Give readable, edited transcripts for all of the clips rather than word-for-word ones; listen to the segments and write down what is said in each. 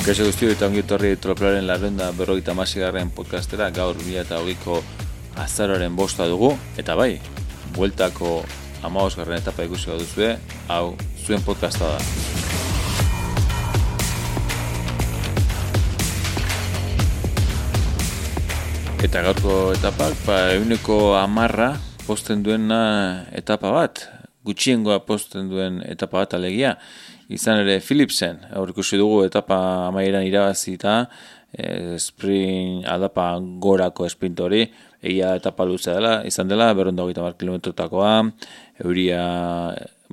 Kaixo guztio eta ongi etorri Tropelaren 456. podcastera, gaur 2020ko azaroaren 5 dugu, eta bai, bueltako 15. etapa ikusi baduzue, hau zuen podcasta da. Eta gaurko etapak, 110 posten duena etapa bat, gutxiengoa posten duen etapa bat alegia, izan ere Philipsen, aurrikusi dugu etapa amaieran irabazita, sprint aldapa gorako sprint hori, egia etapa luzea dela, izan dela, 230 kilometrotakoa, euria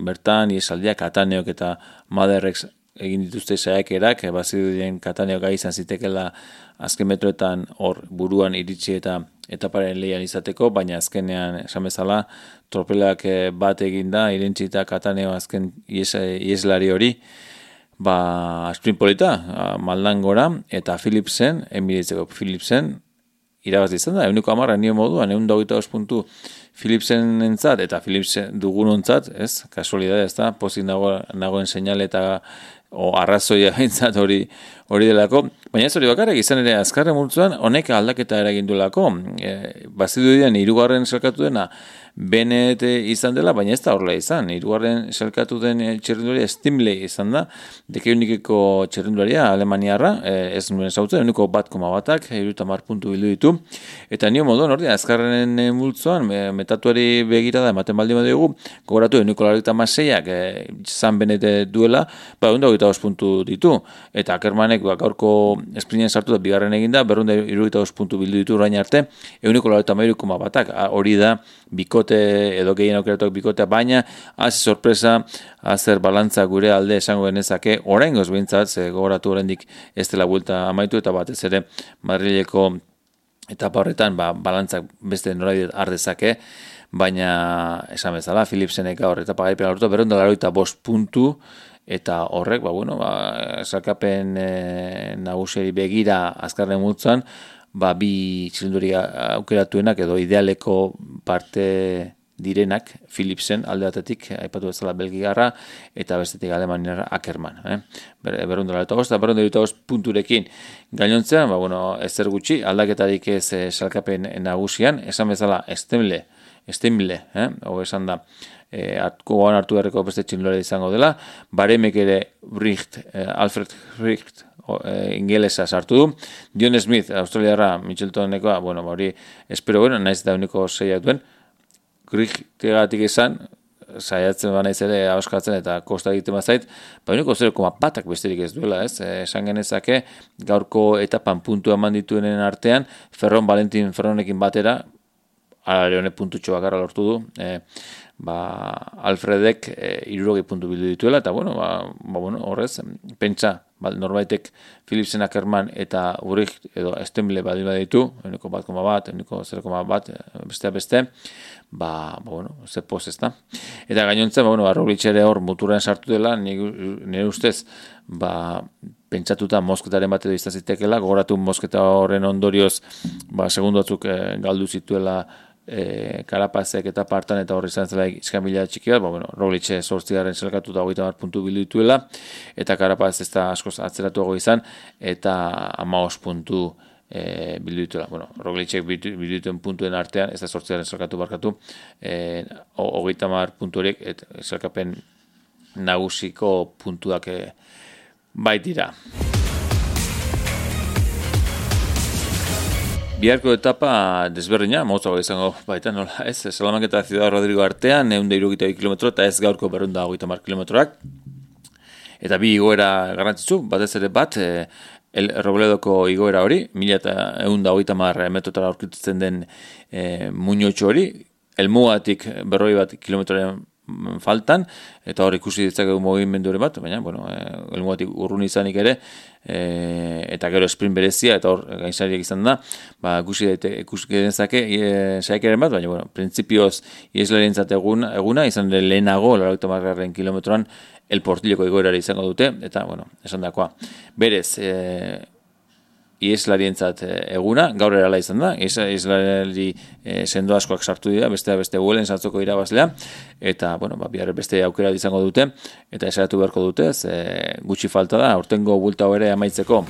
bertan, iesaldiak, Kataneok eta Maderrek egin dituzte saiakerak, bazirudien Kataneok gai izan zitekela azken metroetan hor buruan iritsi eta etaparen lehian izateko, baina azkenean esan bezala tropelak bat eginda, irentzita Kataneo azken ieslari hori, sprint polita, maldan gora, eta Philipsen, Emiratesko Philipsen, irabazi izan da, 110 nio moduan, 125 puntu Philipsen entzat, eta Philipsen dugunontzat, ez, kasualidade, ez da, pozik nagoen seinale eta arrazoia entzat hori delako, baina ez hori bakarrik, izan ere azkarren multzuan, honek aldaketa eragin duelako, bazidu dian, 3. selkatu dena, Bennett izan dela, baina ez da horrela izan. 3. selkatu den txerrendularia Stimley izan da, dekeunikeko txerrendularia Alemaniarra, ez nuen zautzen, 1,1-ak, 70 puntu bildu ditu, eta nio moduen hori, azkarren multzuan, metatuari begira da, ematen baldin badugu, gogoratu 1,86ak izan Bennett duela, 125 puntu ditu, eta Ackermanek gaurko sprinten sartu da, bigarren eginda, 275 puntu bildu ditu orain arte, 1,83,1ak, hori da, bikote edo gehien aukeratuak bikotea, baina hasi sorpresa, azer balantza gure alde esango genezake, oraingoz behintzat, gogoratu oraindik ez dela buelta amaitu, eta batez ere Madrileko etapa horretan balantzak beste norabide har dezake, baina esan bezala, Philipsenek gaur etapa gaipen lortu, 285 puntu, eta horrek, salkapen nagusiari begira azkarren multzan, bi txilinduri aukeratuenak edo idealeko parte direnak Philipsen alde batetik, aipatu bezala Belgiarra, eta bestetik Alemaniarra Ackerman. 285 punturekin gainontzean, ezer gutxi, aldaketarik ez salkapen nagusian, esan bezala Stimle, esan da, gogoan hartu beharreko beste txilindulari izango dela, Baremek ere Alfred Bricht, ingelesa sartu du, Dion Smith, australiarra, Mitcheltonekoa, hori, espero, naiz da uniko 6 duen, Grigtegatik izan, saiatzen naiz ere ahoskatzen eta kosta egiten bazait, uniko 0,1ak besterik ez duela, ez? Esan genezake, gaurko etapan puntua eman dituenen artean, Valentin Ferronekin batera, alare honek puntutxo bakarra lortu du, Alfredek 60 puntu bildu dituela, eta horrez, pentsa, norbaitek Philipsen, Ackerman eta Uricht edo Stimle baldin baditu, 1,1, 0,1, beste, ze poz ez da. Eta gainontzen, Roglic ere hor muturren sartu dela, nire ustez, pentsatuta mosketaren bat edo iztazitekela, gogoratu mosketa horren ondorioz, segundu batzuk galdu zituela Karapazek eta partan eta horri izan zela iskamila txikia, Roglic 8. selkatu da 30 puntu bildu dituela, eta Karapaz ez da askoz atzeratuago izan, eta 15 puntu bildu dituela. Roglicek bildu dituen puntuen artean, ez da 8. selkatu barkatu, 30 puntu horiek, selkapen nagusiko puntuak baitira. Biharko etapa desberdina, motzago izango baita, nola ez, Salamanca eta Ciudad Rodrigo artean, 162 kilometro eta ez gaurko 230 kilometroak. Eta bi igoera garrantzitsu, batez ere bat, El Robledoko igoera hori, 1130 metrotara aurkitzen den muñotxo hori, Elmugatik 40 kilometroren faltan, eta hor ikusi ditzakegu mugimendu bat, baina, Elmugatik urrun izanik ere, eta gero sprint berezia, eta hor gainzariak izan da, ikusi genezake saikeren bat, baina, printzipioz ieslarientzat eguna, izan ere lehenago, 80 kilometroan, El Portilleko igoerari izango dute, eta, esan dakoa. Berez, ieslarientzat eguna, gaur erala izan da, ieslari sendo askoak sartu dira, beste Vuelen saltzoko irabazlea, eta, bihar beste aukera izango dute, eta esaratu beharko dute, gutxi falta da, aurtengo bulta ere amaitzeko.